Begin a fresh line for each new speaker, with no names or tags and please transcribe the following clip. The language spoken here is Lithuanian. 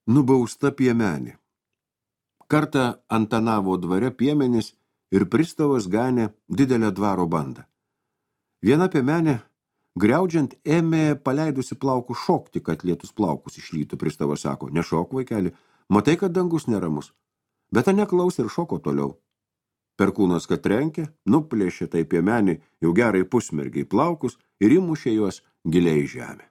Nubausta piemenė. Kartą Antanavo dvare piemenys ir pristavas ganė didelę dvaro bandą. Viena piemenė, griaudžiant, ėmė paleidusi plaukus šokti, kad lietus plaukus išlytų. Pristavas sako, nešok, vaikeli, matai, kad dangus neramus. Bet ta neklausė ir šoko toliau. Perkūnas, kad trenkė, nuplėšė tai piemenį jau gerai pusmergiai plaukus ir įmušė juos giliai į žemę.